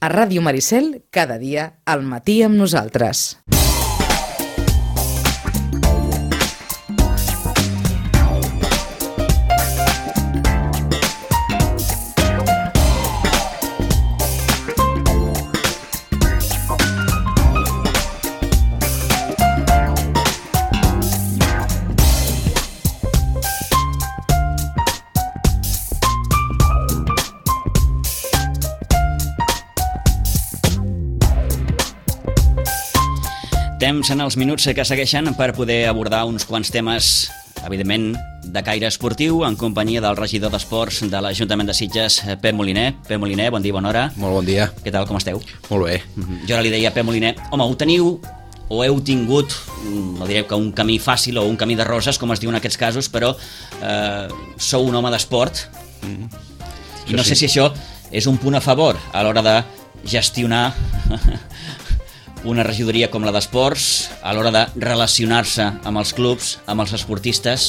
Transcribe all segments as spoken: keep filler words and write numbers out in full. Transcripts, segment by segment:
A Ràdio Maricel, cada dia al matí amb nosaltres. Temps en els minuts que segueixen per poder abordar uns quants temes, evidentment, de caire esportiu, en companyia del regidor d'Esports de l'Ajuntament de Sitges, Pep Moliner. Pep Moliner, bon dia, bona hora. Molt bon dia. Què tal, com esteu? Molt bé. Jo ara li deia a Pep Moliner, home, ho teniu o heu tingut, no diré que un camí fàcil o un camí de roses, com es diu en aquests casos, però eh, sou un home d'esport, mm. i no sé si això és un punt a favor a l'hora de gestionar una regidoria com la d'Esports, a l'hora de relacionar-se amb els clubs, amb els esportistes.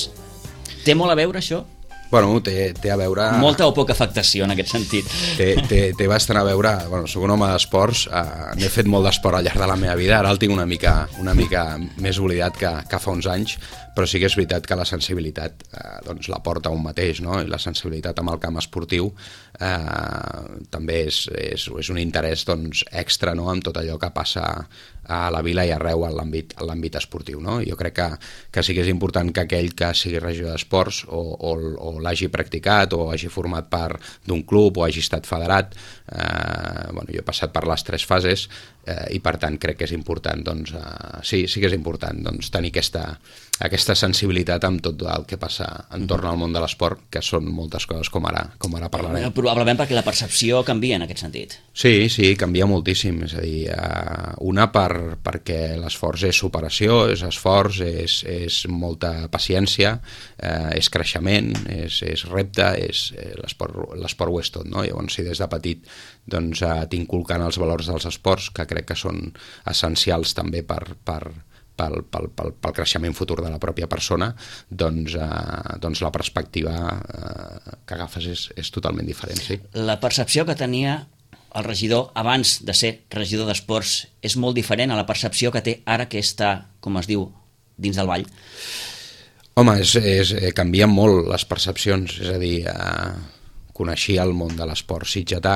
Té molt a veure això? Bueno, té, té a veure... Molta o poca afectació en aquest sentit? Té, té, té bastant a veure... Bueno, soc un home d'esports, eh, n'he fet molt d'esport al llarg de la meva vida, ara el tinc una mica, una mica més oblidat que, que fa uns anys, però sí que és veritat que la sensibilitat eh, doncs la porta un mateix, no? I la sensibilitat amb el camp esportiu eh, també és, és, és un interès doncs, extra, no? En tot allò que passa a la vila i arreu en l'àmbit en l'àmbit esportiu, no? Jo crec que, que sí que és important que aquell que sigui regidor d'esports o, o, o l'hagi practicat o hagi format part d'un club o hagi estat federat, eh, bueno, jo he passat per les tres fases eh, i per tant crec que és important, doncs, eh, sí, sí que és important doncs, tenir aquesta, aquesta sensibilitat amb tot el que passa entorn al món de l'esport, que són moltes coses com ara, com ara parlarem. Probablement perquè la percepció canvia en aquest sentit. Sí, sí, canvia moltíssim, és a dir, eh, una per perquè l'esforç és superació, és esforç, és, és molta paciència, eh, és creixement, és, és repte, és, eh, l'esport, l'esport ho és tot, no? Llavors, si des de petit doncs, eh, t'inculcant els valors dels esports, que crec que són essencials també per, per, pel, pel, pel, pel creixement futur de la pròpia persona, doncs, eh, doncs la perspectiva eh, que agafes és, és totalment diferent, sí. La percepció que tenia el regidor abans de ser regidor d'esports és molt diferent a la percepció que té ara que està, com es diu, dins del ball? Home, és, és, canvien molt les percepcions, és a dir, eh, coneixia el món de l'esport sitgetà,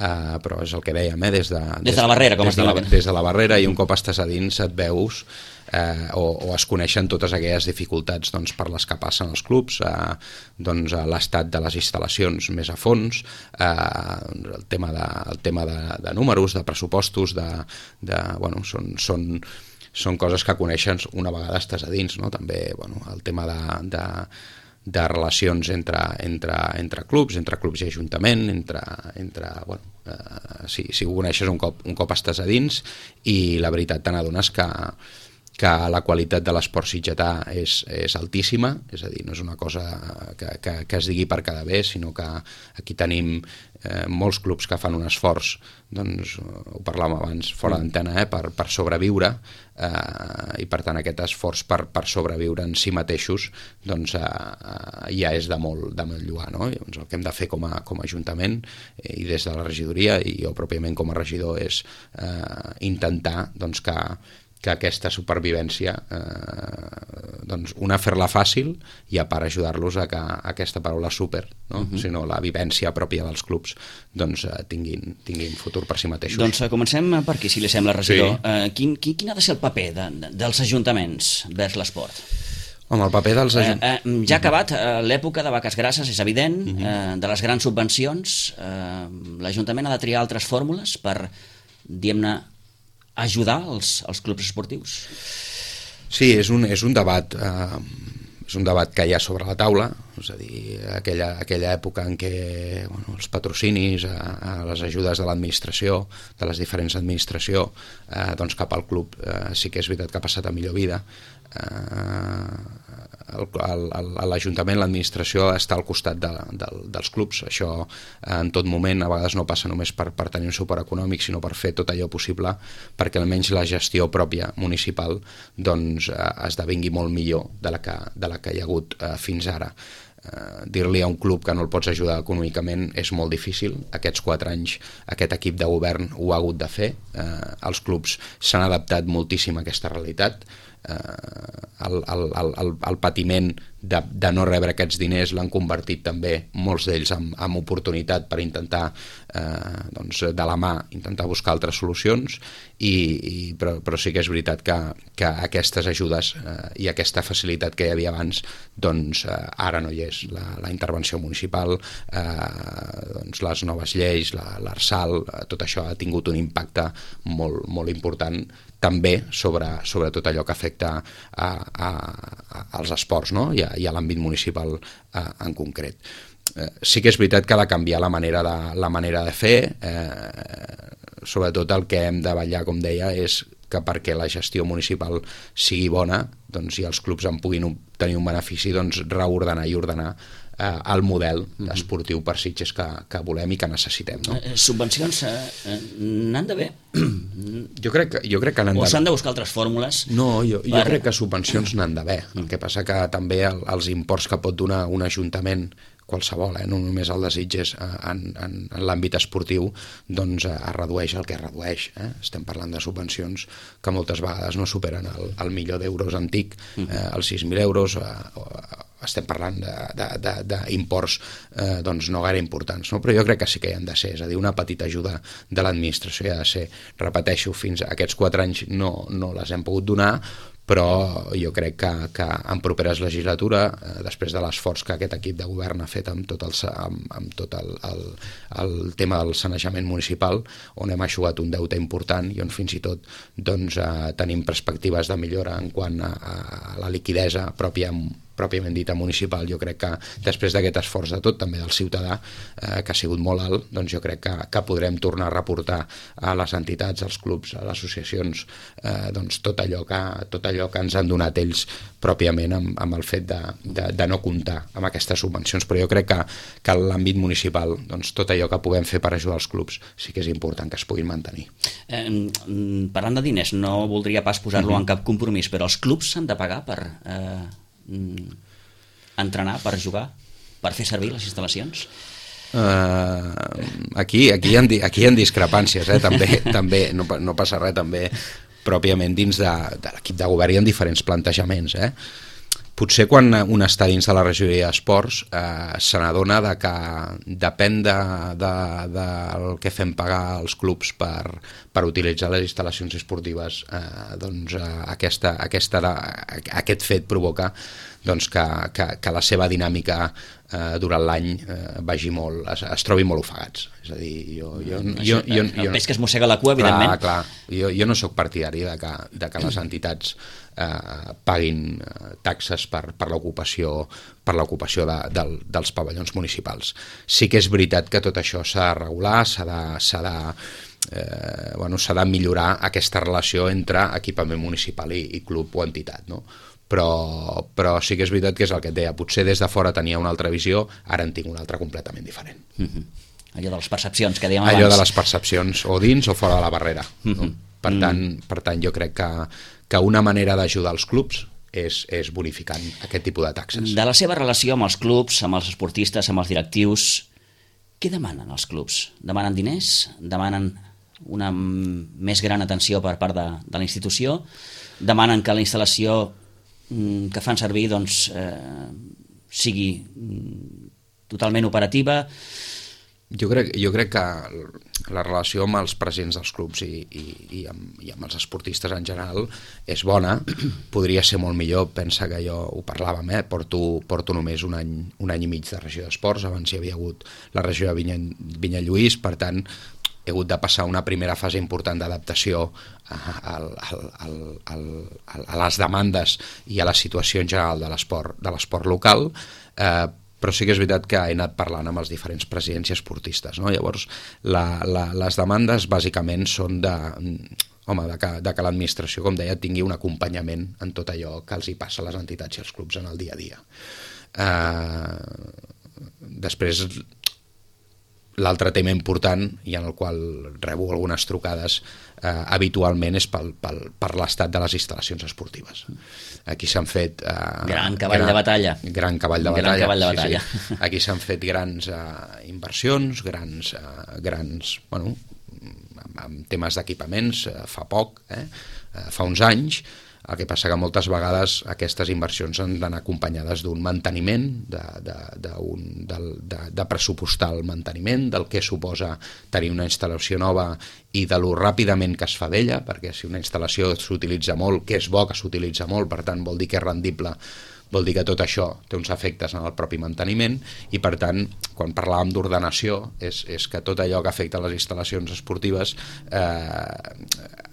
eh, però és el que dèiem, eh, des de, des de la barrera, com des es diu. De la, des de la barrera, i un cop estàs a dins et veus Eh, o, o es coneixen totes aquelles dificultats doncs, per les que passen els clubs, eh, doncs, l'estat de les instal·lacions més a fons, eh, el tema, de, el tema de, de números, de pressupostos, de, de, bueno, són, són, són coses que coneixes una vegada estàs a dins, no? També bueno, el tema de, de, de relacions entre, entre, entre clubs, entre clubs i ajuntament, entre, entre bueno, eh, si, si ho coneixes un cop, un cop estàs a dins, i la veritat te n'adones que que la qualitat de l'esport sitgetà és, és altíssima, és a dir, no és una cosa que, que, que es digui per quedar bé, sinó que aquí tenim eh, molts clubs que fan un esforç, doncs ho parlàvem abans fora d'antena, eh, per, per sobreviure, eh, i per tant aquest esforç per, per sobreviure en si mateixos doncs eh, eh, ja és de molt, de molt lluar, no? Llavors, el que hem de fer com a, com a Ajuntament eh, i des de la regidoria i jo pròpiament com a regidor és eh, intentar doncs, que que aquesta supervivència, eh, doncs una fer-la fàcil i a part ajudar-los a que aquesta paraula super, no? Uh-huh. Sinó la vivència pròpia dels clubs, doncs eh, tinguin, tinguin futur per si mateixos. Doncs eh, comencem per aquí, si li sembla, regidor. Sí. Eh, quin, quin, quin ha de ser el paper de, de, dels ajuntaments vers l'esport? Home, el paper dels ajuntaments... Eh, eh, ja ha acabat eh, l'època de vaques grasses, és evident, uh-huh. eh, de les grans subvencions. Eh, L'Ajuntament ha de triar altres fórmules per, diguem-ne, ajudar els, els clubs esportius? Sí, és un, és un debat eh, és un debat que hi ha sobre la taula, és a dir, aquella, aquella època en què bueno, els patrocinis, a, a les ajudes de l'administració, de les diferents administracions, eh, doncs cap al club eh, sí que és veritat que ha passat a millor vida. Eh, l'Ajuntament, l'administració està al costat de, de, dels clubs. Això en tot moment a vegades no passa només per, per tenir un suport econòmic, sinó per fer tot allò possible perquè almenys la gestió pròpia municipal doncs, eh, esdevingui molt millor de la que, de la que hi ha hagut eh, fins ara. eh, dir-li a un club que no el pots ajudar econòmicament és molt difícil. Aquests quatre anys aquest equip de govern ho ha hagut de fer. Eh, els clubs s'han adaptat moltíssim a aquesta realitat. Eh, el, el, el, el patiment de, de no rebre aquests diners l'han convertit també molts d'ells en, en oportunitat per intentar eh, doncs, de la mà intentar buscar altres solucions i, i, però, però sí que és veritat que, que aquestes ajudes eh, i aquesta facilitat que hi havia abans doncs eh, ara no hi és. La, la intervenció municipal, eh, doncs, les noves lleis, l'Arsal, eh, tot això ha tingut un impacte molt, molt important també sobre, sobre tot allò que afecta a, a, a, als esports, no? I a, i a l'àmbit municipal a, en concret. Eh, sí que és veritat que ha de canviar la manera de, la manera de fer, eh, sobretot el que hem de vetllar, com deia, és que perquè la gestió municipal sigui bona doncs, i els clubs en puguin tenir un benefici, doncs, reordenar i ordenar eh, el model esportiu per Sitges que, que volem i que necessitem. No? Eh, subvencions eh, n'han d'haver? Jo crec que, jo crec que n'han o d'haver. s'han de buscar altres fórmules? No, jo, jo per... crec que subvencions n'han d'haver. El que passa que també el, els imports que pot donar un ajuntament qualsevol, eh? no només el de Sitges en, en, en l'àmbit esportiu, doncs es redueix el que es redueix. Eh? Estem parlant de subvencions que moltes vegades no superen el, el milió d'euros antic, eh, els sis mil euros, eh, estem parlant d'imports eh, doncs no gaire importants, no? Però jo crec que sí que hi han de ser, és a dir, una petita ajuda de l'administració hi ha de ser. Repeteixo, fins a aquests quatre anys no, no les hem pogut donar, però jo crec que, que en properes legislatura, eh, després de l'esforç que aquest equip de govern ha fet amb tot el, amb, amb tot el, el, el tema del sanejament municipal, on hem eixugat un deute important i on fins i tot doncs, eh, tenim perspectives de millora en quant a, a la liquidesa pròpia pròpiament dita municipal. Jo crec que després d'aquest esforç de tot, també del ciutadà, eh, que ha sigut molt alt, doncs jo crec que, que podrem tornar a reportar a les entitats, als clubs, a les associacions, eh, doncs tot allò, que, tot allò que ens han donat ells pròpiament amb, amb el fet de, de, de no comptar amb aquestes subvencions. Però jo crec que, que en l'àmbit municipal, doncs tot allò que puguem fer per ajudar els clubs sí que és important que es puguin mantenir. Eh, parlant de diners, no voldria pas posar-lo mm-hmm. en cap compromís, però els clubs s'han de pagar per... Eh... entrenar, per jugar, per fer servir les instal·lacions? Uh, aquí, aquí, hi ha, aquí hi ha discrepàncies, eh? també, també no, no passa res, també pròpiament dins de, de l'equip de govern hi ha diferents plantejaments. Eh? Potser quan un està dins de la regidoria d'esports eh, se n'adona de que depèn de, de, del que fem pagar als clubs per, per utilitzar les instal·lacions esportives, eh, doncs eh, aquesta, aquesta, aquest fet provoca doncs, que, que, que la seva dinàmica eh, durant l'any eh, vagi molt, es, es trobi molt ofegats. És a dir, jo... jo, jo, jo, jo el peix que es mossega la cua, evidentment. Clar, clar. Jo, jo no sóc partidari de que, de que les entitats eh, paguin eh, taxes per, per l'ocupació per l'ocupació de, de, dels pavellons municipals. Sí que és veritat que tot això s'ha de regular, s'ha de... S'ha de Eh, bueno, s'ha de millorar aquesta relació entre equipament municipal i, i club o entitat, no? Però, però sí que és veritat que és el que et deia, potser des de fora tenia una altra visió, ara en tinc una altra completament diferent. Mm-hmm. Allò de les percepcions que dèiem abans. Allò de les percepcions, o dins o fora de la barrera. Mm-hmm. No? Per, mm-hmm. tant, per tant, jo crec que, que una manera d'ajudar els clubs és, és bonificant aquest tipus de taxes. De la seva relació amb els clubs, amb els esportistes, amb els directius, què demanen els clubs? Demanen diners? Demanen una més gran atenció per part de, de la institució? Demanen que la instal·lació que fan servir doncs, eh, sigui totalment operativa? Jo crec, jo crec que la relació amb els presidents dels clubs i, i, i, amb, i amb els esportistes en general és bona, podria ser molt millor. Pensa que jo ho parlàvem, eh? porto, porto només un any, un any i mig de regió d'esports, abans hi havia hagut la regió de Vinya, Vinya Lluís, per tant he hagut de passar una primera fase important d'adaptació a, a, a, a, a les demandes i a la situació en general de l'esport de l'esport local, eh, però sí que és veritat que he anat parlant amb els diferents presidents i esportistes, no? Llavors, la, la, les demandes bàsicament són de, home, de que, de que l'administració, com deia, tingui un acompanyament en tot allò que els hi passa a les entitats i als clubs en el dia a dia. Eh, després, l'altre tema important i en el qual rebo algunes trucades eh, habitualment és pel, pel, per l'estat de les instal·lacions esportives. Aquí s'han fet... Eh, gran cavall gran, de batalla. Gran cavall de gran batalla. Cavall de batalla. Sí, sí. Aquí s'han fet grans eh, inversions, grans, eh, grans bueno, amb temes d'equipaments eh, fa poc, eh, eh, fa uns anys. El que passa que moltes vegades aquestes inversions han d'anar acompanyades d'un manteniment, de, de, de, un, de, de, de pressupostar el manteniment, del que suposa tenir una instal·lació nova i de lo ràpidament que es fa d'ella, perquè si una instal·lació s'utilitza molt, que és bo que s'utilitza molt, per tant vol dir que és rendible, vol dir que tot això té uns efectes en el propi manteniment i per tant, quan parlàvem d'ordenació, és, és que tot allò que afecta les instal·lacions esportives eh,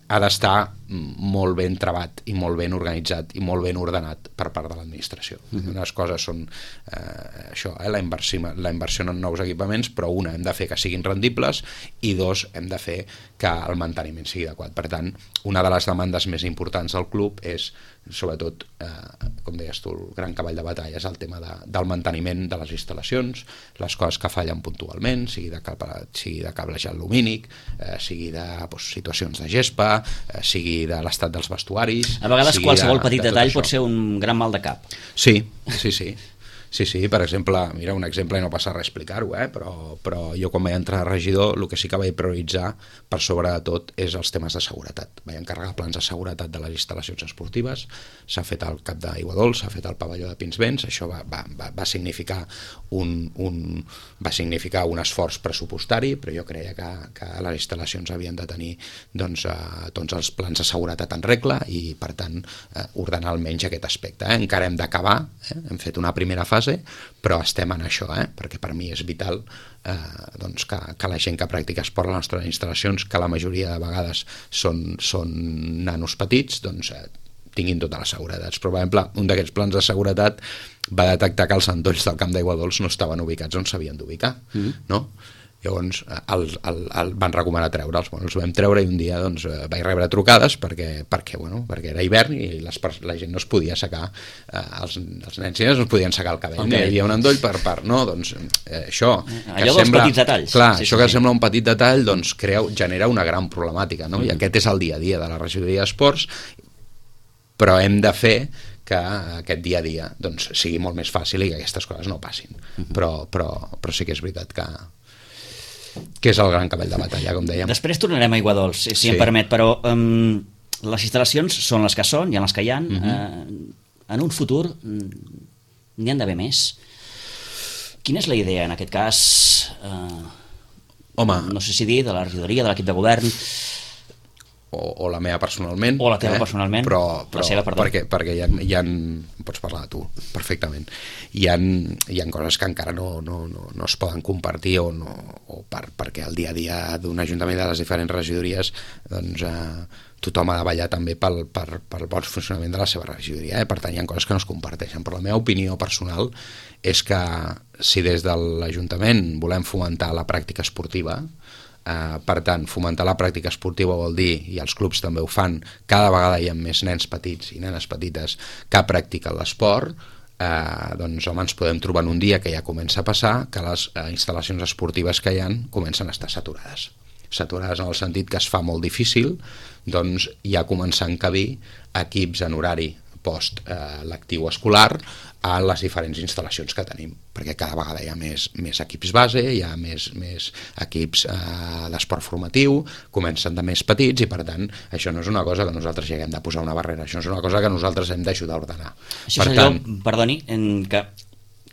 ha d'estar molt ben trebat i molt ben organitzat i molt ben ordenat per part de l'administració. Uh-huh. Unes coses són eh, això, eh, la, inversió, la inversió en nous equipaments, però una, hem de fer que siguin rendibles i dos, hem de fer que el manteniment sigui adequat. Per tant, una de les demandes més importants del club és, sobretot, eh, com deies tu, el gran cavall de batalla és el tema de, del manteniment de les instal·lacions, les coses que fallen puntualment, sigui de, cable, sigui de cablejat lumínic, eh, sigui de doncs, situacions de gespa, eh, sigui de l'estat dels vestuaris... A vegades qualsevol de, petit de detall això. pot ser un gran mal de cap. Sí, sí, sí. Sí, sí, per exemple, mira, un exemple i no passa res explicar-ho, eh? però, però jo quan vaig entrar a regidor el que sí que vaig prioritzar per sobre de tot és els temes de seguretat. Vaig encarregar plans de seguretat de les instal·lacions esportives, s'ha fet al Cap d'Aiguadols, s'ha fet al pavelló de Pinsbens, això va, va, va, va, significar un, un, va significar un esforç pressupostari, però jo creia que, que les instal·lacions havien de tenir doncs, eh, tots els plans de seguretat en regla i, per tant, eh, ordenar almenys aquest aspecte. Eh? Encara hem d'acabar, eh? Hem fet una primera fase, però estem en això, eh? Perquè per mi és vital eh, doncs que, que la gent que practica esport a les nostres instal·lacions, que la majoria de vegades són, són nanos petits, doncs eh, tinguin totes les seguretats. Però, per exemple, un d'aquests plans de seguretat va detectar que els endolls del Camp d'Aiguadols no estaven ubicats on s'havien d'ubicar, mm-hmm. no? Llavors el, el, el van recomanar treure'ls, bueno, els vam treure i un dia doncs, vaig rebre trucades perquè, perquè, bueno, perquè era hivern i les, la gent no es podia secar, eh, els, els nens i nenes no es podien secar el cabell, okay. Hi havia un endoll per part, no? Doncs eh, això allò dels sembla, petits detalls clar, sí, això sí, que sí. sembla un petit detall doncs crea, genera una gran problemàtica, no? Mm-hmm. I aquest és el dia a dia de la regidoria d'esports, però hem de fer que aquest dia a dia doncs, sigui molt més fàcil i que aquestes coses no passin. Mm-hmm. però, però, però sí que és veritat que que és el gran cavall de batalla, com dèiem. Després tornarem a Aiguadols, si, si sí. em permet, però um, les instal·lacions són les que són, hi ha les que hi ha. Uh-huh. uh, en un futur n'hi han d'haver més. Quina és la idea, en aquest cas, uh, Home, no sé si dir, de la regidoria, de l'equip de govern... O, o la meva personalment, o la teva eh? personalment, però, però la seva, perdó. perquè, perquè hi ha, hi ha, pots parlar de tu perfectament, hi ha, hi ha coses que encara no, no, no, no es poden compartir o, no, o per, perquè el dia a dia d'un ajuntament de les diferents regidories doncs, eh, tothom ha de ballar també pel, per, pel bon funcionament de la seva regidoria, eh? Per tant hi ha coses que no es comparteixen, però la meva opinió personal és que si des de l'Ajuntament volem fomentar la pràctica esportiva, Uh, per tant, fomentar la pràctica esportiva vol dir, i els clubs també ho fan, cada vegada hi ha més nens petits i nenes petites que practiquen l'esport, uh, doncs home, ens podem trobar en un dia que ja comença a passar que les uh, instal·lacions esportives que hi ha comencen a estar saturades. Saturades en el sentit que es fa molt difícil doncs ja començar a encabir equips en horari post eh, lectiu escolar a les diferents instal·lacions que tenim, perquè cada vegada hi ha més, més equips base, hi ha més, més equips eh, d'esport formatiu, comencen de més petits i per tant això no és una cosa que nosaltres hi haguem de posar una barrera, això és una cosa que nosaltres hem d'ajudar a ordenar. Això per és tant, allò, perdoni, en que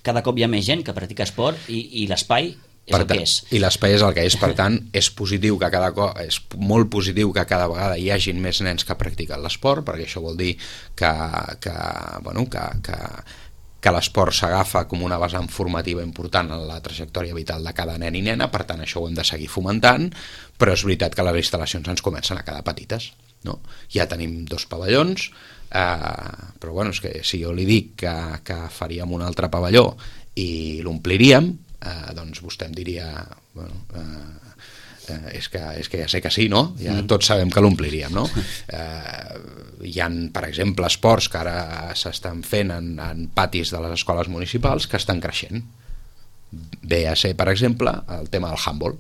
cada cop hi ha més gent que practica esport i, i l'espai és per el tant, que és. I l'espai és el que és, per tant, és positiu que cada cop, és molt positiu que cada vegada hi hagin més nens que practiquen l'esport, perquè això vol dir que, que, bueno, que, que, que l'esport s'agafa com una vessant formativa important en la trajectòria vital de cada nen i nena, per tant això ho hem de seguir fomentant, però és veritat que les instal·lacions ens comencen a quedar petites, no? Ja tenim dos pavellons, eh, però bueno, és que si jo li dic que, que faríem un altre pavelló i l'ompliríem, Eh, doncs vostè em diria bueno, eh, eh, és, que, és que ja sé que sí, no? Ja mm. tots sabem que l'ompliríem, no? Eh, hi ha, per exemple, esports que ara s'estan fent en, en patis de les escoles municipals que estan creixent, ve a ser, per exemple, el tema del handball,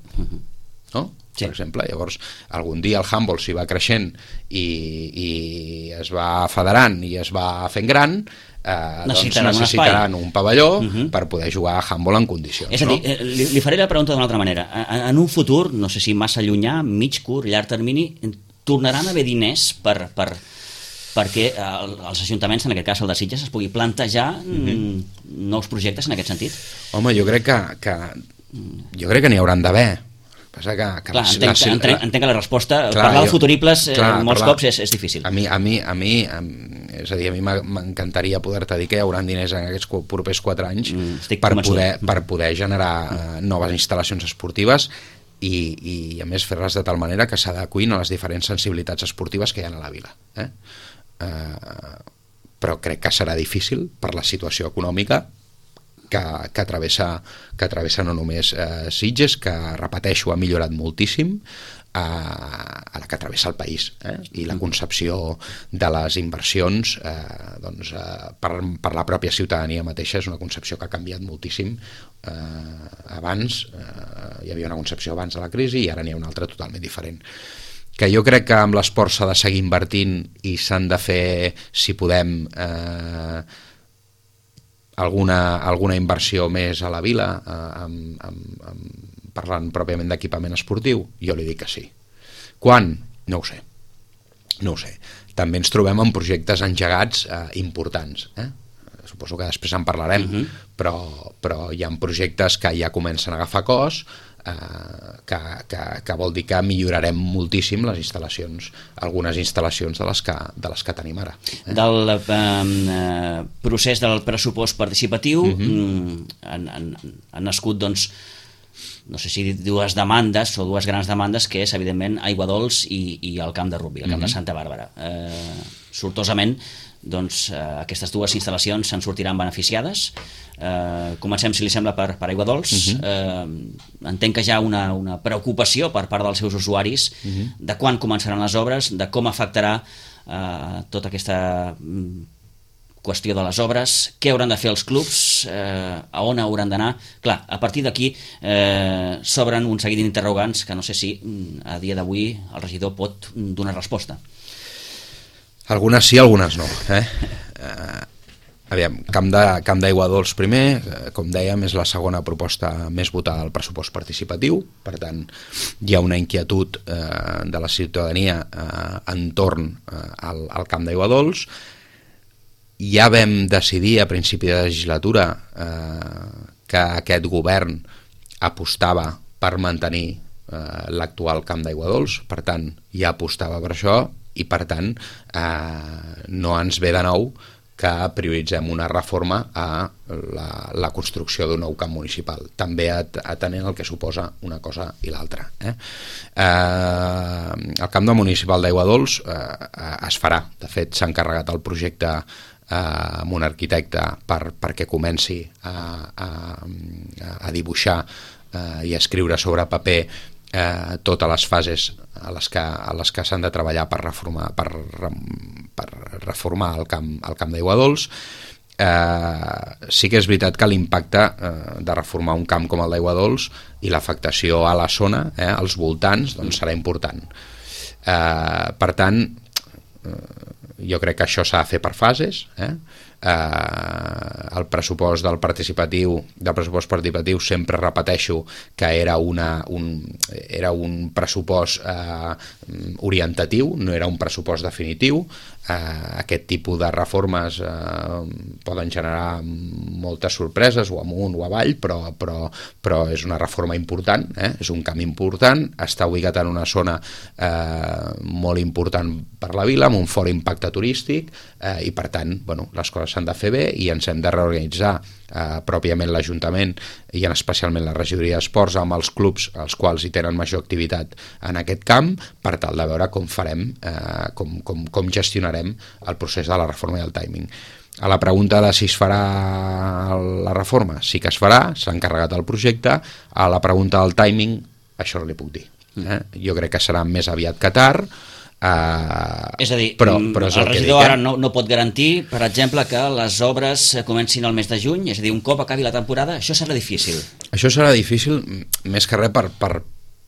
no? Sí. Per exemple, llavors algun dia el handball s'hi va creixent i, i es va federant i es va fent gran, eh, necessitaran, doncs necessitaran un, un pavelló uh -huh. per poder jugar a handball en condicions. És a dir, no? li, li faré la pregunta d'una altra manera. En, en un futur, no sé si massa llunyà, mig, curt, llarg termini, tornaran a haver diners per, per, perquè el, els ajuntaments, en aquest cas el de Sitges, es pugui plantejar uh -huh. nous projectes en aquest sentit? Home, jo crec que, que jo crec que n'hi hauran d'haver. Passa que, que clar, entenc, la, entenc, entenc que la resposta, clar, parlar de jo, futuribles clar, eh, molts parlar, cops és, és difícil. A mi, a mi, a mi, a, és a dir, a mi m'encantaria poder-te dir que hi haurà diners en aquests propers quatre anys mm, per, poder, per poder generar mm. noves instal·lacions esportives i, i a més fer-les de tal manera que s'adequin a les diferents sensibilitats esportives que hi ha a la vila. Eh? Uh, però crec que serà difícil per la situació econòmica que, que, travessa, que travessa no només eh, Sitges, que, repeteixo, ha millorat moltíssim, eh, a la que travessa el país. Eh? I la concepció de les inversions eh, doncs, eh, per, per la pròpia ciutadania mateixa és una concepció que ha canviat moltíssim. Eh, abans eh, hi havia una concepció abans de la crisi i ara n'hi ha una altra totalment diferent. Que jo crec que amb l'esport s'ha de seguir invertint i s'han de fer, si podem, eh, alguna, alguna inversió més a la vila, eh, amb, amb, amb, parlant pròpiament d'equipament esportiu. Jo li dic que sí. Quan? No ho sé. No ho sé. També ens trobem en projectes engegats eh, importants. Eh? Suposo que després en parlarem, uh-huh. però, però hi ha projectes que ja comencen a agafar cos, Uh, que, que, que vol dir que millorarem moltíssim les instal·lacions, algunes instal·lacions de les que, de les que tenim ara. Eh? Del eh, procés del pressupost participatiu uh-huh. han, han, han nascut, doncs, no sé si dues demandes o dues grans demandes, que és, evidentment, Aiguadols i, i el camp de rugbi, el camp uh-huh. de Santa Bàrbara. Eh, sortosament, doncs, eh, aquestes dues instal·lacions se'n sortiran beneficiades. Eh, comencem, si li sembla, per, per Aiguadols. Uh-huh. eh, entenc que hi ha una, una preocupació per part dels seus usuaris uh-huh. de quan començaran les obres, de com afectarà eh, tota aquesta mm, qüestió de les obres, què hauran de fer els clubs, eh, a on hauran d'anar. Clar, a partir d'aquí eh, s'obren un seguit d'interrogants que no sé si a dia d'avui el regidor pot donar resposta. Algunes sí, algunes no. Eh? Eh, aviam, Camp de, Camp d'Aiguadols primer, eh, com dèiem, és la segona proposta més votada al pressupost participatiu, per tant, hi ha una inquietud eh, de la ciutadania eh, entorn eh, al, al Camp d'Aiguadols. Ja vam decidir a principi de legislatura eh, que aquest govern apostava per mantenir eh, l'actual Camp d'Aiguadols, per tant, ja apostava per això, i per tant eh, no ens ve de nou que prioritzem una reforma a la, la construcció d'un nou camp municipal, també atenent el que suposa una cosa i l'altra. Eh? Eh, el camp de municipal d'Aiguadols eh, es farà, de fet s'ha encarregat el projecte eh, amb un arquitecte per, perquè comenci a, a, a dibuixar eh, i a escriure sobre paper Eh, totes les fases a les que, a les que s'han de treballar per reformar, per, per reformar el camp, el camp d'Aiguadols. Eh, sí que és veritat que l'impacte eh, de reformar un camp com el d'Aiguadols i l'afectació a la zona, eh, als voltants, doncs serà important. Eh, per tant, eh, jo crec que això s'ha de fer per fases. Eh? Eh, el pressupost del participatiu del pressupost participatiu sempre repeteixo que era, una, un, era un pressupost eh, orientatiu, no era un pressupost definitiu. Eh, aquest tipus de reformes eh, poden generar moltes sorpreses o amunt o avall, però, però, però és una reforma important, eh? És un camp important, està ubicat en una zona eh, molt important per la vila, amb un fort impacte turístic, eh, i per tant, bueno, les coses s'han de fer bé i ens hem de reorganitzar eh, pròpiament l'Ajuntament i en especialment la regidoria d'esports amb els clubs els quals hi tenen major activitat en aquest camp, per tal de veure com farem, eh, com, com, com gestionarem el procés de la reforma i el timing. A la pregunta de si es farà la reforma, sí que es farà, s'ha encarregat el projecte. A la pregunta del timing, això no li puc dir. Eh? Jo crec que serà més aviat que tard. Uh, és a dir, però, però és el, el regidor dic, ara eh? no, no pot garantir, per exemple, que les obres comencin al mes de juny, és a dir, un cop acabi la temporada, això serà difícil. Això serà difícil, més que res per, per,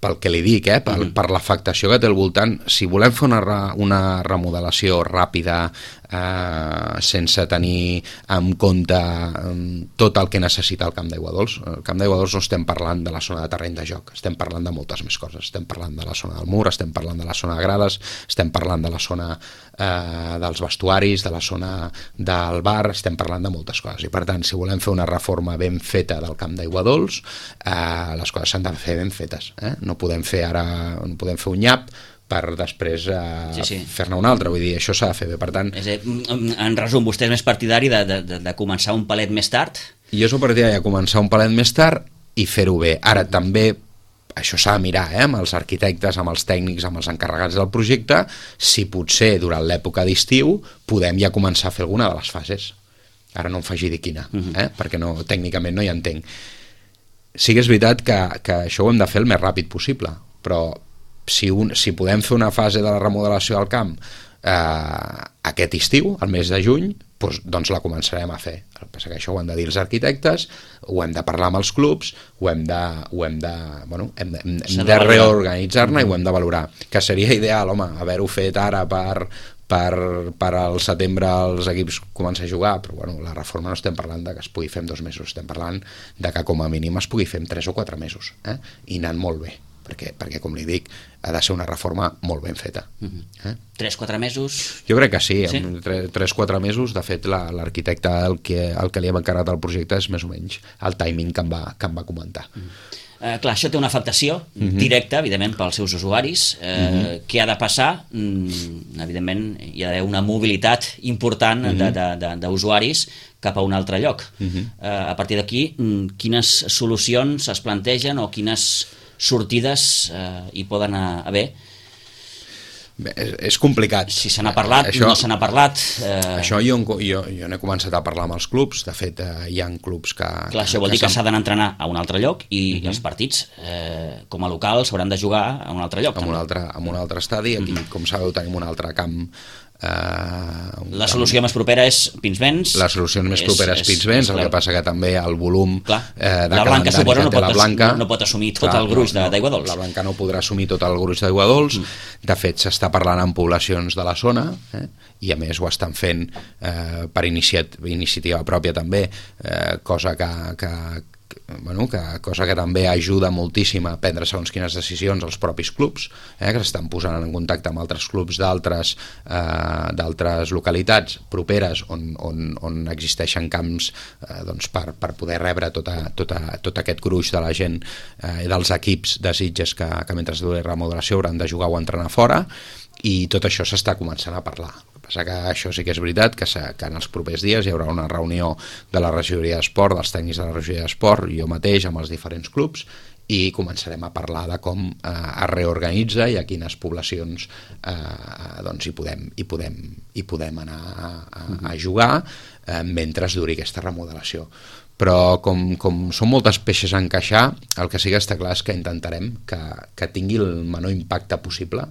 pel que li dic, eh? per, Mm-hmm. per l'afectació que té al voltant. Si volem fer una, una remodelació ràpida, eh, sense tenir en compte eh, tot el que necessita el Camp d'Aigua Dols, el Camp d'Aigua Dols no estem parlant de la zona de terreny de joc, estem parlant de moltes més coses. Estem parlant de la zona del mur, estem parlant de la zona de grades, estem parlant de la zona eh, dels vestuaris, de la zona del bar, estem parlant de moltes coses. I per tant, si volem fer una reforma ben feta del Camp d'Aigua Dols, eh, les coses s'han de fer ben fetes. Eh? No podem fer ara, no podem fer un nyap per després eh, Sí, sí. fer-ne un altre, vull dir, això s'ha de fer bé. Per tant, És a dir, en resum, vostè és més partidari de, de, de, de començar un palet més tard? jo sóc partidari de començar un palet més tard i fer-ho bé. Ara també això s'ha de mirar, eh, amb els arquitectes, amb els tècnics, amb els encarregats del projecte, si potser durant l'època d'estiu podem ja començar a fer alguna de les fases. Ara no em faci dir quina, eh, perquè no, tècnicament no hi entenc. Sí que és veritat que, que això ho hem de fer el més ràpid possible, però si, un, si podem fer una fase de la remodelació del camp eh, aquest estiu, al mes de juny, doncs, doncs la començarem a fer. El que passa que això ho han de dir els arquitectes, ho hem de parlar amb els clubs, ho hem de, ho hem de, bueno, hem de, hem S'ha de de valorar. reorganitzar-ne i ho hem de valorar. Que seria ideal, home, haver-ho fet ara per, per, per al setembre els equips començar a jugar, però bueno, la reforma no estem parlant de que es pugui fer en dos mesos, estem parlant de que com a mínim es pugui fer en tres o quatre mesos, eh? I anant molt bé, perquè, perquè com li dic, ha de ser una reforma molt ben feta. Eh? tres quatre mesos? Jo crec que sí, Sí? en tres quatre mesos, de fet la- l'arquitecte el que, el que li hem encarregat al projecte és més o menys el timing que em va, que em va comentar. Eh, clar, això té una afectació directa, evidentment, pels seus usuaris. Eh, Què ha de passar? Mm, evidentment, hi ha d'haver una mobilitat important de- de- de- d'usuaris cap a un altre lloc. Eh, a partir d'aquí, mm, quines solucions es plantegen o quines sortides eh, hi poden haver? Bé, és, és complicat. Si se n'ha parlat, Això- no se n'ha parlat... Eh, Això jo, jo, jo n'he començat a parlar amb els clubs, de fet eh, hi ha clubs que... Clar, això vol dir que s'han- s'ha d'anar a entrenar a un altre lloc i els partits, eh, com a local, s'hauran de jugar a un altre lloc. en un també. altre, en un altre estadi, aquí, com sabeu, tenim un altre camp. Eh, un La camp- solució més propera és Pinsbens. La solució més propera és, és Pinsbens, el que passa que també el volum Clar. eh, de La Blanca, calendari suposo, que no té pot la ass- Blanca... no- no pot assumir tot el gruix de- d'Aigua Dols. La Blanca no podrà assumir tot el gruix d'Aigua Dols. Mm. De fet, s'està parlant amb poblacions de la zona, eh, i a més ho estan fent eh, per iniciat, iniciativa pròpia també, eh, cosa que, que, bueno, que, cosa que també ajuda moltíssim a prendre segons quines decisions als propis clubs, eh, que s'estan posant en contacte amb altres clubs d'altres eh, d'altres localitats properes on, on, on existeixen camps eh, doncs per, per poder rebre tota, tota, tot aquest gruix de la gent eh, i dels equips de Sitges que, que mentre duri la remodelació hauran de jugar o entrenar fora, i tot això s'està començant a parlar. El que passa que això sí que és veritat, que, que en els propers dies hi haurà una reunió de la regidoria d'esport, dels tècnics de la regidoria d'esport, jo mateix amb els diferents clubs, i començarem a parlar de com eh, es reorganitza i a quines poblacions eh, doncs hi podem, hi podem, hi podem anar a, a, a jugar eh, mentre duri aquesta remodelació. Però com, com són moltes peixes a encaixar, el que sí que està clar és que intentarem que, que tingui el menor impacte possible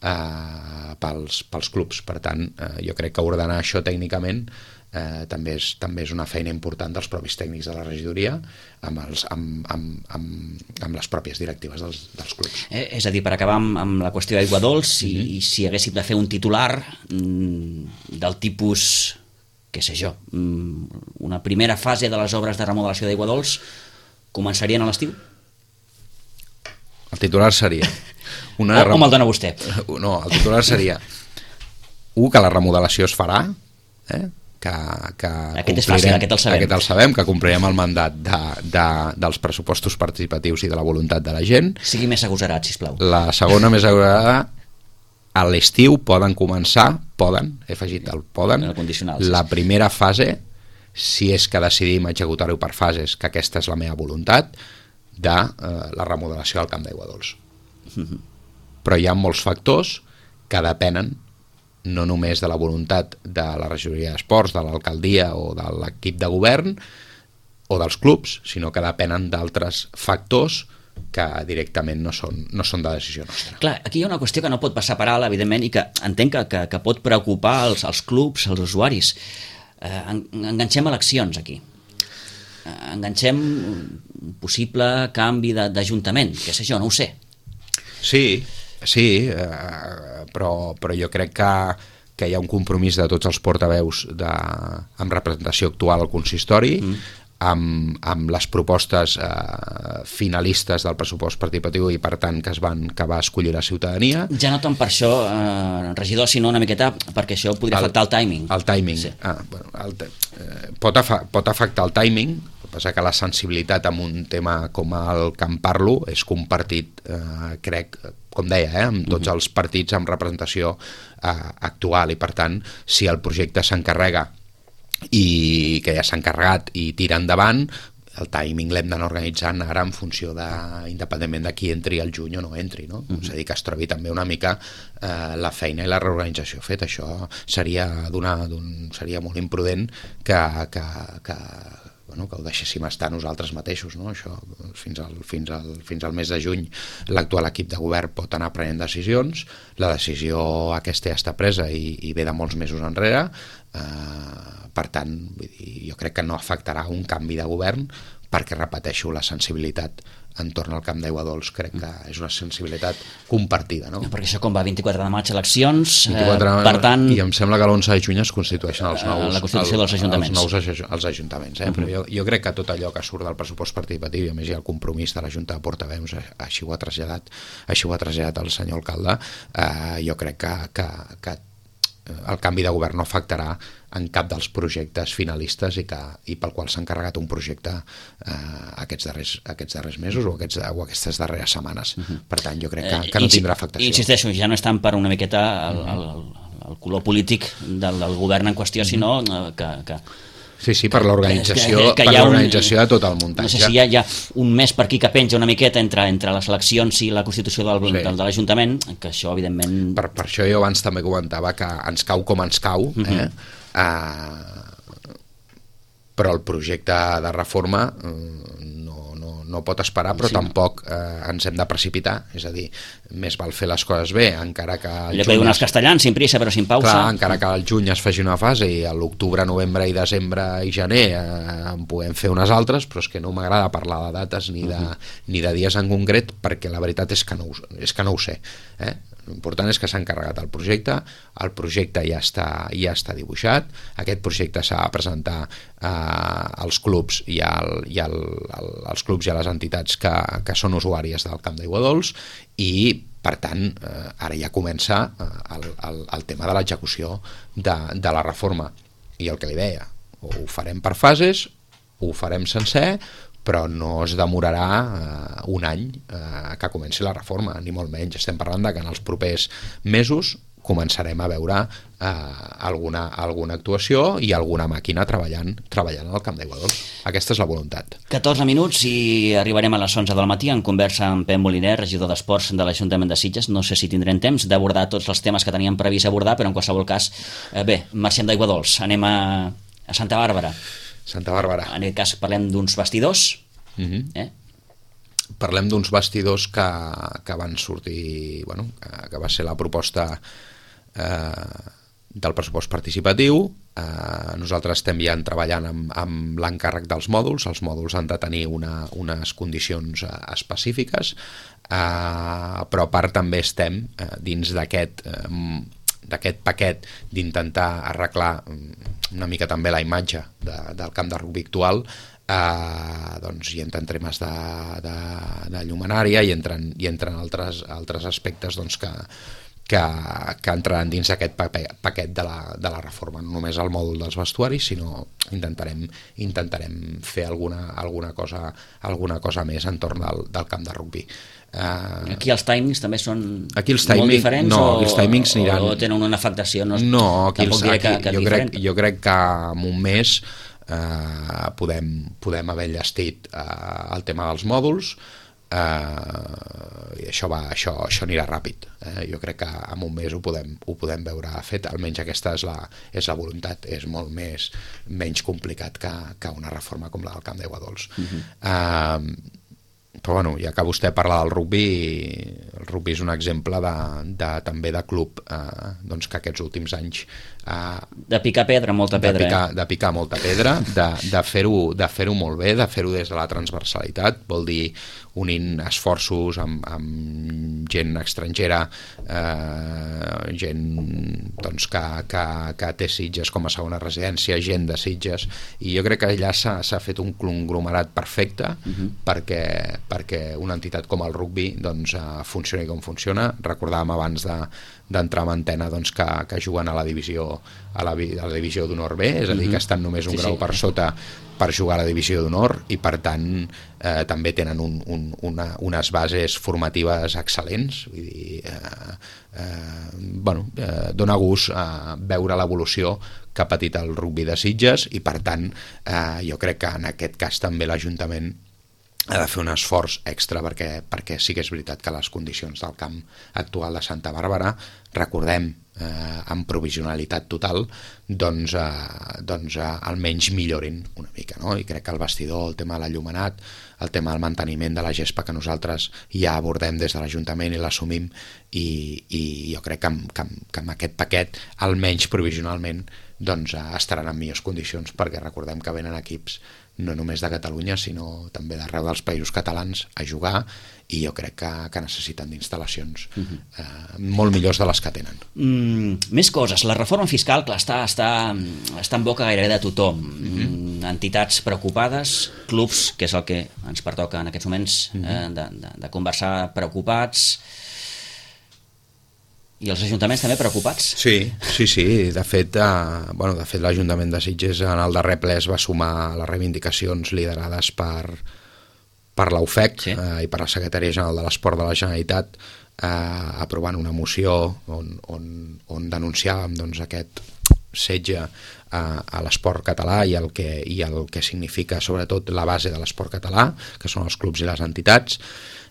eh, pels, pels clubs. Per tant, eh, jo crec que ordenar això tècnicament eh, també, és, també és una feina important dels propis tècnics de la regidoria amb, els, amb, amb, amb, amb les pròpies directives dels, dels clubs. Eh, és a dir, per acabar amb, amb la qüestió d'Aigua Dols, i, i si haguéssim de fer un titular mm, del tipus, què sé jo, mm, una primera fase de les obres de remodelació d'Aigua Dols començarien a l'estiu? El titular seria... Una O, o me'l dona vostè? No, el titular seria un, que la remodelació es farà, eh? que, que Aquest és fàcil, aquest el sabem. Aquest el sabem, que complirem el mandat de, de, dels pressupostos participatius i de la voluntat de la gent. Sigui més agosarat, sisplau. La segona més agradada, a l'estiu poden començar, poden, he afegit el poden, El condicional, sí. la primera fase, si és que decidim executar-ho per fases, que aquesta és la meva voluntat, de eh, la remodelació del Camp d'Aigua Dols. Però hi ha molts factors que depenen no només de la voluntat de la regidoria d'esports, de l'alcaldia o de l'equip de govern o dels clubs, sinó que depenen d'altres factors que directament no són, no són de decisió nostra. Clar, aquí hi ha una qüestió que no pot passar per alt, evidentment, i que entenc que, que, que pot preocupar els, els clubs, els usuaris. Eh, enganxem eleccions aquí. Eh, enganxem un possible canvi d'Ajuntament, què sé jo, no ho sé. Sí, sí, eh, però, però jo crec que, que hi ha un compromís de tots els portaveus de, amb representació actual al consistori, mm. amb, amb les propostes eh, finalistes del pressupost participatiu i per tant que es van que va escollir la ciutadania. Ja no tant per això, eh, regidor, sinó una miqueta perquè això podria el, afectar el timing. El timing. Sí. Ah, bueno, el, eh, pot, afa, pot afectar el timing, el que passa que la sensibilitat en un tema com el que en parlo és compartit, eh, crec, com deia, eh, amb tots uh-huh. els partits amb representació eh, actual, i per tant, si el projecte s'encarrega i que ja s'ha encarregat i tira endavant, el timing l'hem d'anar organitzant ara en funció de, independentment de qui entri al juny o no entri, no? Uh-huh. És a dir, que es trobi també una mica eh, la feina i la reorganització feta. Això seria, donar, d'un, seria molt imprudent que, que, que, bueno, que ho deixéssim estar nosaltres mateixos, no? Això, fins al, fins al, fins al mes de juny l'actual equip de govern pot anar prenent decisions, la decisió aquesta ja està presa i, i ve de molts mesos enrere. Eh, per tant, vull dir, jo crec que no afectarà un canvi de govern, perquè, repeteixo, la sensibilitat entorn al Camp d'Aigua Dols crec que és una sensibilitat compartida, no? Perquè això com va, vint-i-quatre de maig eleccions, vint-i-quatre, eh, per tant... I em sembla que l'onze de juny es constitueixen els nous, la constitució dels ajuntaments. Els nous els ajuntaments, eh? Uh-huh. Però jo, jo crec que tot allò que surt del pressupost participatiu, i a més hi ha el compromís de la Junta de Portaveus, així ho ha traslladat, així ho ha traslladat el senyor alcalde, eh, jo crec que, que, que el canvi de govern no afectarà en cap dels projectes finalistes i, que, i pel qual s'ha encarregat un projecte eh, aquests, darrers, aquests darrers mesos o, aquests, o aquestes darreres setmanes. Uh-huh. Per tant, jo crec que, que no tindrà afectació. Insisteixo, ja no és tant per una miqueta el, el, el color polític del, del govern en qüestió, uh-huh. sinó que... que Sí, sí, per l'organització per l'organització de tot el muntatge. No sé si hi ha, hi ha un mes per aquí que penja una miqueta entre, entre les eleccions i la constitució del, sí. del, de l'Ajuntament, que això, evidentment... Per, per això jo abans també comentava que ens cau com ens cau, eh? Uh-huh. uh, però el projecte de reforma uh, no, no, no pot esperar, però sí. tampoc eh, ens hem de precipitar, és a dir, més val fer les coses bé, encara que... Allò que diuen els castellans, sin prisa però sin pausa. Clar, encara que al juny es faci una fase i a l'octubre, novembre i desembre i gener eh, en puguem fer unes altres, però és que no m'agrada parlar de dates ni de, uh-huh. ni de dies en concret, perquè la veritat és que no, és que no ho sé, eh? L'important és que s'ha encarregat el projecte, el projecte ja està, ja està dibuixat, aquest projecte s'ha de presentar eh, als clubs i, al, i al, al, als clubs i a les entitats que, que són usuàries del Camp d'Aigua Dols i, per tant, eh, ara ja comença eh, el, el, el tema de l'execució de, de la reforma. I el que li deia, ho farem per fases, ho farem sencer, però no es demorarà eh, un any eh, que comenci la reforma, ni molt menys. Estem parlant de que en els propers mesos començarem a veure eh, alguna, alguna actuació i alguna màquina treballant treballant al Camp d'Aigua Dols. Aquesta és la voluntat. catorze minuts i arribarem a les onze del matí en conversa amb Pep Moliner, regidor d'Esports de l'Ajuntament de Sitges. No sé si tindrem temps d'abordar tots els temes que teníem previst abordar, però en qualsevol cas, eh, bé, marxem d'Aigua Dols, anem a, a Santa Bàrbara. Santa Bàrbara. En aquest cas parlem d'uns vestidors. Uh-huh. eh? Parlem d'uns vestidors que, que van sortir, bueno, que, que va ser la proposta eh, del pressupost participatiu. Eh, nosaltres estem ja treballant amb, amb l'encàrrec dels mòduls. Els mòduls han de tenir una, unes condicions eh, específiques, eh, però a part també estem eh, dins d'aquest eh, d'aquest paquet d'intentar arreglar una mica també la imatge de, del camp de rugby actual. Uh, doncs hi entren temes de, de, de llumenària i entren, i entren altres, altres aspectes doncs, que, que, que entraran dins aquest paquet de la, de la reforma, no només el mòdul dels vestuaris, sinó intentarem, intentarem fer alguna, alguna, cosa, alguna cosa més entorn del, del camp de rugby. Uh, aquí els timings també són aquí els timing, molt diferents no, o, els timings aniran... o tenen una afectació? No, no aquí els, diré aquí, que, que jo, crec, jo crec que en un mes Uh, podem, podem haver enllestit uh, el tema dels mòduls uh, i això, va, això, això anirà ràpid, eh? Jo crec que en un mes ho podem, ho podem veure fet, almenys aquesta és la, és la voluntat. És molt més, menys complicat que, que una reforma com la del Camp d'Aigua Dols. Uh-huh. uh, però bueno, ja que vostè parla del rugby, el rugby és un exemple de, de, també de club eh, doncs que aquests últims anys eh, de picar pedra, molta pedra, de picar, eh? de picar molta pedra, de, de fer-ho de fer-ho molt bé, de fer-ho des de la transversalitat, vol dir unint esforços amb, amb gent estrangera, eh, gent doncs, que, que, que té Sitges com a segona residència, gent de Sitges, i jo crec que allà s'ha fet un conglomerat perfecte uh-huh. perquè, perquè una entitat com el rugby doncs, uh, funcioni com funciona. Recordàvem abans de, d'entrar en antena doncs, que, que juguen a la divisió a la, a la divisió d'honor B, és a dir, que estan només un sí, grau sí. per sota per jugar a la divisió d'honor, i per tant eh, també tenen un, un, una, unes bases formatives excel·lents, vull dir, eh, eh, bueno, eh, dona gust eh, veure l'evolució que ha patit el rugby de Sitges, i per tant eh, jo crec que en aquest cas també l'Ajuntament ha de fer un esforç extra perquè, perquè sí que és veritat que les condicions del camp actual de Santa Bàrbara, recordem, eh, amb provisionalitat total, doncs, eh, doncs eh, almenys millorin una mica, no? I crec que el vestidor, el tema de l'enllumenat, el tema del manteniment de la gespa que nosaltres ja abordem des de l'Ajuntament i l'assumim, i, i jo crec que amb, que, amb, que amb aquest paquet, almenys provisionalment, doncs eh, estaran en millors condicions, perquè recordem que venen equips no només de Catalunya, sinó també d'arreu dels països catalans a jugar, i jo crec que, que necessiten d'instal·lacions uh-huh. eh, molt millors de les que tenen. Mm, més coses. La reforma fiscal, clar, està, està, està en boca gairebé de tothom. Uh-huh. Mm, entitats preocupades, clubs, que és el que ens pertoca en aquests moments uh-huh. eh, de, de, de conversar, preocupats. I els ajuntaments també preocupats? Sí, sí, sí. De fet, eh, bueno, de fet l'Ajuntament de Sitges en el darrer ple es va sumar les reivindicacions liderades per, per l'U F E C sí. eh, i per la Secretaria General de l'Esport de la Generalitat, eh, aprovant una moció on, on, on denunciàvem doncs, aquest setge a, a l'esport català i el, que, i el que significa sobretot la base de l'esport català, que són els clubs i les entitats.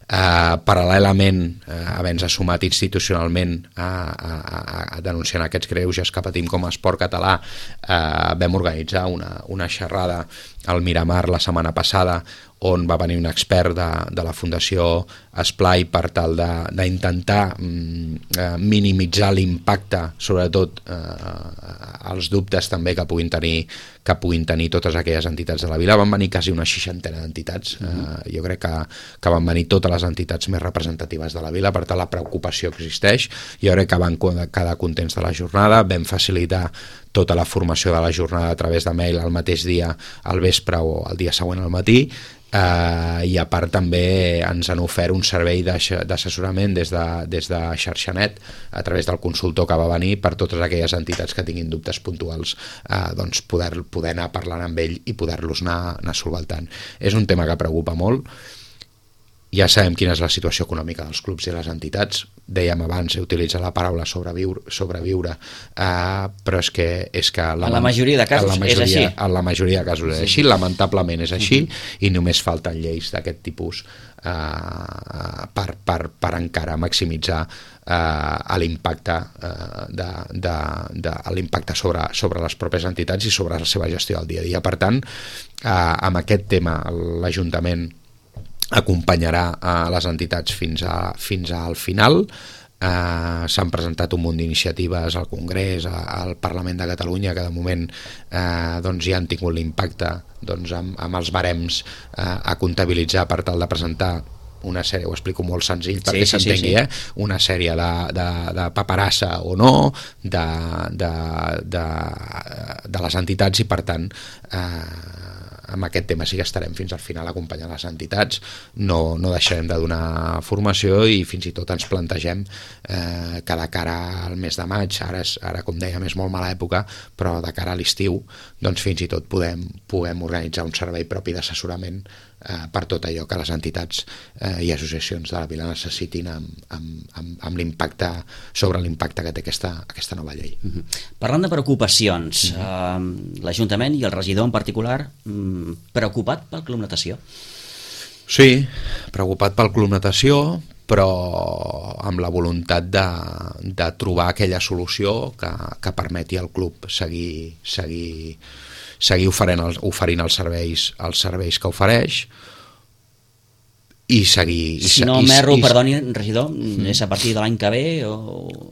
Uh, paral·lelament uh, havent-se sumat institucionalment a, a, a, a denunciar aquests greuges que patim com a esport català, uh, vam organitzar una, una xerrada al Miramar la setmana passada, on va venir un expert de, de la Fundació Esplai per tal d'intentar mm, eh, minimitzar l'impacte, sobretot eh, els dubtes també que puguin tenir que puguin tenir totes aquelles entitats de la vila. Van venir quasi una seixantena d'entitats, uh-huh. eh, jo crec que, que van venir totes les entitats més representatives de la vila, per tant la preocupació existeix. Jo crec que van quedar contents de la jornada, vam facilitar tota la formació de la jornada a través de mail el mateix dia al vespre o el dia següent al matí, eh, i a part també ens han ofert un servei d'assessorament des de, des de Xarxanet a través del consultor que va venir per totes aquelles entitats que tinguin dubtes puntuals, eh, doncs poder, poder anar parlant amb ell i poder-los anar, anar solventant. És un tema que preocupa molt. Ja sabem quina és la situació econòmica dels clubs i les entitats. Dèiem abans, he utilitzat la paraula sobreviure, sobreviure eh, però és que... És que la, en la majoria de casos majoria, és així. En la majoria de casos és sí. així, lamentablement és així, uh-huh. i només falten lleis d'aquest tipus eh, per, per, per encara maximitzar eh, l'impacte eh, de, de, de, l'impacte sobre, sobre les pròpies entitats i sobre la seva gestió del dia a dia. Per tant, eh, amb aquest tema l'Ajuntament acompanyarà a les entitats fins, a, fins al final. Eh, s'han presentat un munt d'iniciatives al Congrés, a, al Parlament de Catalunya, que de moment eh, doncs ja han tingut l'impacte doncs, amb, amb els barems eh, a comptabilitzar per tal de presentar una sèrie, ho explico molt senzill perquè sí, sí, s'entengui, sí, sí. eh? una sèrie de, de, de paperassa o no de, de, de, de les entitats, i per tant eh, amb aquest tema sí que estarem fins al final acompanyant les entitats, no, no deixarem de donar formació, i fins i tot ens plantegem eh, que de cara al mes de maig, ara, és, ara com dèiem és molt mala època, però de cara a l'estiu doncs fins i tot podem, podem organitzar un servei propi d'assessorament eh, per tot allò que les entitats eh, i associacions de la vila necessitin amb, amb, amb, amb l'impacte, sobre l'impacte que té aquesta, aquesta nova llei. Uh-huh. Parlant de preocupacions, uh-huh. eh, l'Ajuntament i el regidor en particular, preocupat pel Club Natació? Sí, preocupat pel Club Natació, però amb la voluntat de, de trobar aquella solució que, que permeti al club seguir, seguir, seguir oferint, els, oferint els serveis, els serveis que ofereix, i seguir... I, si no i, m'erro, i, perdoni, regidor, mm. és a partir de l'any que ve o...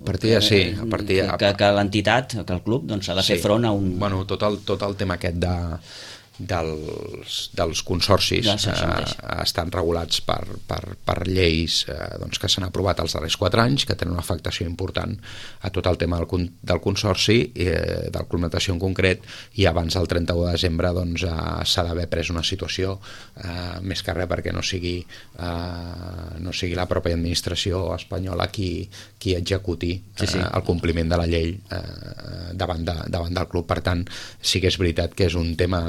A partir de, sí, a partir de... Que, que l'entitat, que el club, doncs, ha de fer sí. front a un... Bueno, tot el, tot el tema aquest de, dels, dels consorcis ja, sí, eh, estan regulats per, per, per lleis eh, doncs, que s'han aprovat els darrers quatre anys, que tenen una afectació important a tot el tema del, del consorci, eh, del Club Natació en concret, i abans del trenta-u de desembre doncs, eh, s'ha d'haver pres una situació, eh, més que res perquè no sigui, eh, no sigui la pròpia administració espanyola qui, qui executi eh, sí, sí. el compliment de la llei eh, davant, de, davant del club. Per tant, sí que és veritat que és un tema...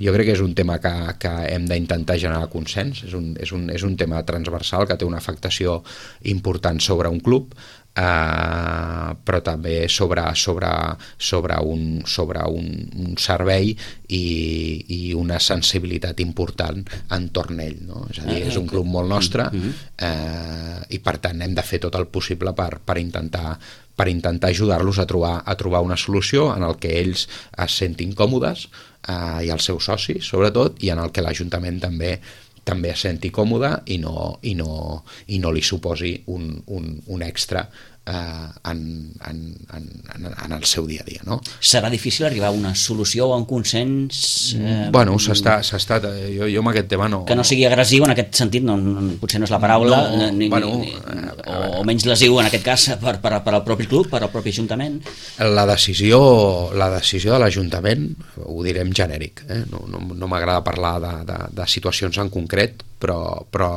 Jo crec que és un tema que, que hem d'intentar generar consens, és un, és, un, és un tema transversal que té una afectació important sobre un club, eh, però també sobre, sobre, sobre, un, sobre un, un servei i, i una sensibilitat important entorn ell, no? És a dir, és un club molt nostre eh, i per tant hem de fer tot el possible per, per intentar per intentar ajudar-los a trobar, a trobar una solució en el que ells es sentin còmodes eh, i els seus socis, sobretot, i en el que l'Ajuntament també també es senti còmode i no, i no, i no li suposi un, un, un extra eh, en, en, en, en el seu dia a dia, no? Serà difícil arribar a una solució o a un consens? Eh, bueno, s'està, s'està, jo, jo amb aquest tema no... Que no sigui agressiu en aquest sentit, no, no, potser no és la paraula, no, ni, bueno, ni, o, o menys lesiu en aquest cas per, per, per al propi club, per al propi Ajuntament? La decisió, la decisió de l'Ajuntament, ho direm genèric, eh? no, no, no m'agrada parlar de, de, de situacions en concret, però, però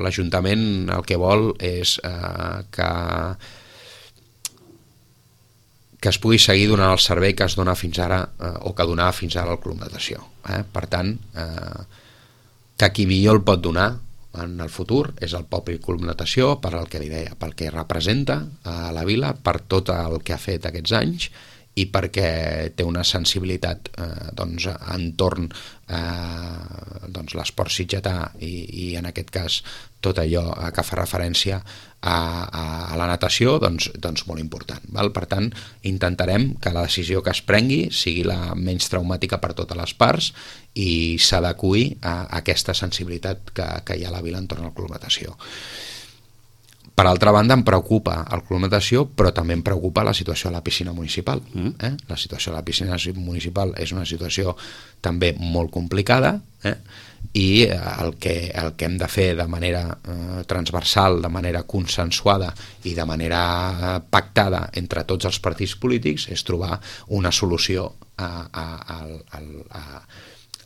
l'Ajuntament el que vol és eh, que que es pugui seguir donant el servei que es dona fins ara eh, o que donava fins ara el Club Natació. Eh? Per tant, eh, que qui millor el pot donar en el futur és el propi Club Natació, per al que li deia, pel que representa a la vila, per tot el que ha fet aquests anys i perquè té una sensibilitat eh, doncs, entorn eh, doncs, l'esport sitgetà i, i en aquest cas tot allò que fa referència a, a, a la natació, doncs, doncs molt important. Val? Per tant, intentarem que la decisió que es prengui sigui la menys traumàtica per totes les parts i s'adequi a, a aquesta sensibilitat que, que hi ha a la vila entorn al Club Natació. Per altra banda, em preocupa el Club Natació, però també em preocupa la situació a la piscina municipal. Eh? La situació a la piscina municipal és una situació també molt complicada, eh? i el que, el que hem de fer de manera eh, transversal, de manera consensuada i de manera eh, pactada entre tots els partits polítics és trobar una solució a, a, a, a,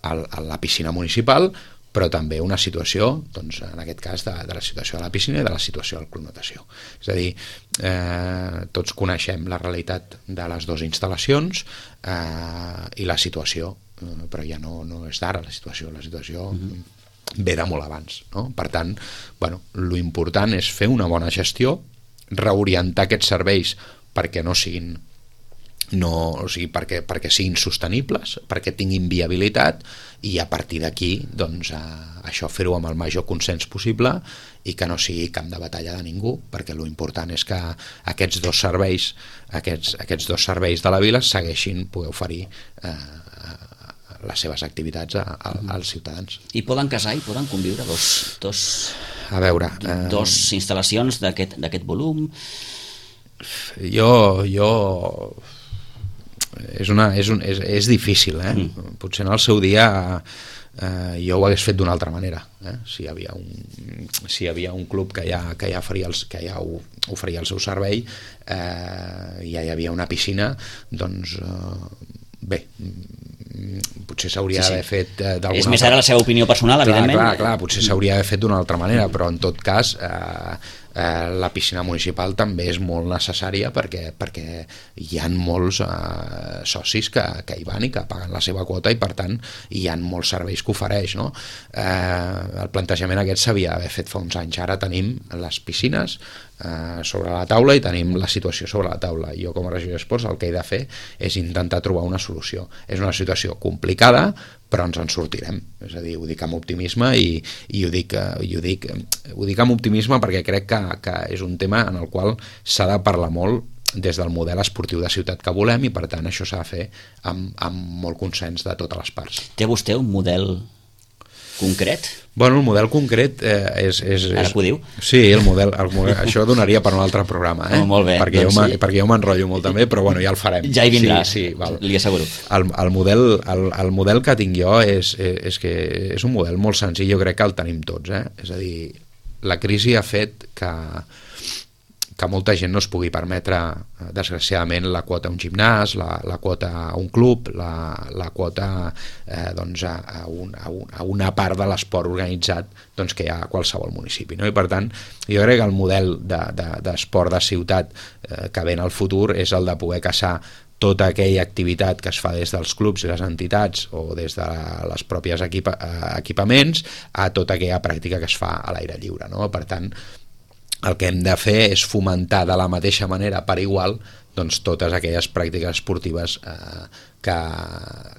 a, a la piscina municipal, però també una situació, doncs, en aquest cas, de, de la situació de la piscina i de la situació del Club Natació. És a dir, eh, tots coneixem la realitat de les dues instal·lacions eh, i la situació, eh, però ja no, no és d'ara la situació, la situació mm-hmm. ve de molt abans. No? Per tant, bueno, lo important és fer una bona gestió, reorientar aquests serveis perquè no siguin no, o sigui, perquè, perquè siguin sostenibles, perquè tinguin viabilitat i a partir d'aquí doncs, eh, això fer-ho amb el major consens possible i que no sigui camp de batalla de ningú, perquè lo important és que aquests dos serveis aquests, aquests dos serveis de la vila segueixin poder oferir eh, les seves activitats a, a, als ciutadans. I poden casar i poden conviure dos, dos, a veure, eh, dos instal·lacions d'aquest d'aquest volum? Jo... jo és, una, és, un, és, és difícil, eh? Mm. Potser en el seu dia eh, jo ho hagués fet d'una altra manera, eh? si, hi havia un, si hi havia un club que ja, que ja, faria els, que ja oferia el seu servei eh, i ja hi havia una piscina, doncs eh, bé, potser s'hauria sí, sí. d'haver fet eh, d'alguna és més ara la seva opinió personal, clar, evidentment. Clar, clar, potser s'hauria d'haver fet d'una altra manera, però en tot cas eh, eh, la piscina municipal també és molt necessària perquè, perquè hi ha molts eh, socis que, que hi van i que paguen la seva quota i per tant hi ha molts serveis que ofereix, no? Eh, el plantejament aquest s'havia d'haver fet fa uns anys. Ara tenim les piscines eh, sobre la taula i tenim la situació sobre la taula. Jo com a regidor d'esports el que he de fer és intentar trobar una solució. És una situació complicada, però ens en sortirem. És a dir, ho dic amb optimisme i, i ho, dic, i ho, dic, ho dic amb optimisme perquè crec que, que és un tema en el qual s'ha de parlar molt des del model esportiu de ciutat que volem i per tant això s'ha de fer amb, amb molt consens de totes les parts. Té vostè un model concret? Bueno, el model concret eh, és, és, és... Ara que ho diu. Sí, el model, el model això donaria per un altre programa, eh? Oh, molt bé, perquè, doncs jo sí. perquè jo m'enrotllo molt també, però bueno, ja el farem. Ja hi vindrà, sí, sí, val. li asseguro. El, el, model, el, el model que tinc jo és, és que és un model molt senzill, jo crec que el tenim tots, eh? És a dir, la crisi ha fet que que molta gent no es pugui permetre, desgraciadament, la quota a un gimnàs, la, la quota a un club, la, la quota eh, doncs a, a, un, a, un, a una part de l'esport organitzat doncs, que hi ha a qualsevol municipi. No? I per tant, jo crec que el model d'esport de, de, de ciutat eh, que ve en el futur és el de poder caçar tota aquella activitat que es fa des dels clubs i les entitats o des de les pròpies equipa, equipaments a tota aquella pràctica que es fa a l'aire lliure. No? Per tant, el que hem de fer és fomentar de la mateixa manera per igual doncs, totes aquelles pràctiques esportives eh, que,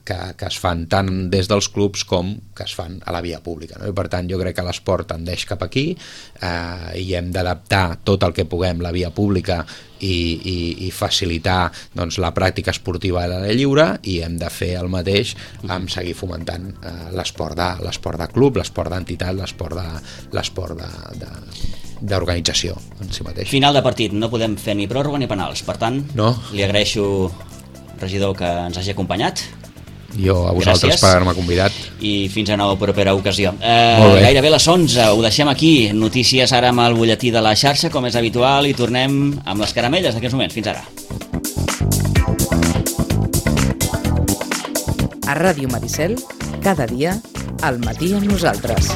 que, que es fan tant des dels clubs com que es fan a la via pública. No? I per tant jo crec que l'esport tendeix cap aquí eh, i hem d'adaptar tot el que puguem la via pública i, i, i facilitar doncs, la pràctica esportiva a l'aire lliure i hem de fer el mateix amb seguir fomentant eh, l'esport de, l'esport de club, l'esport d'entitat, l'esport de, l'esport de, de d'organització en si mateix. Final de partit, no podem fer ni pròrroga ni penals, per tant no. Li agraeixo, regidor, que ens hagi acompanyat. Jo a vosaltres. Gràcies. Per haver-me convidat i fins a nova propera ocasió. eh, gairebé les onze, ho deixem aquí. Notícies ara amb el butlletí de la xarxa, com és habitual, i tornem amb les caramelles d'aquests moments. Fins ara. A Ràdio Maricel, cada dia al matí amb nosaltres.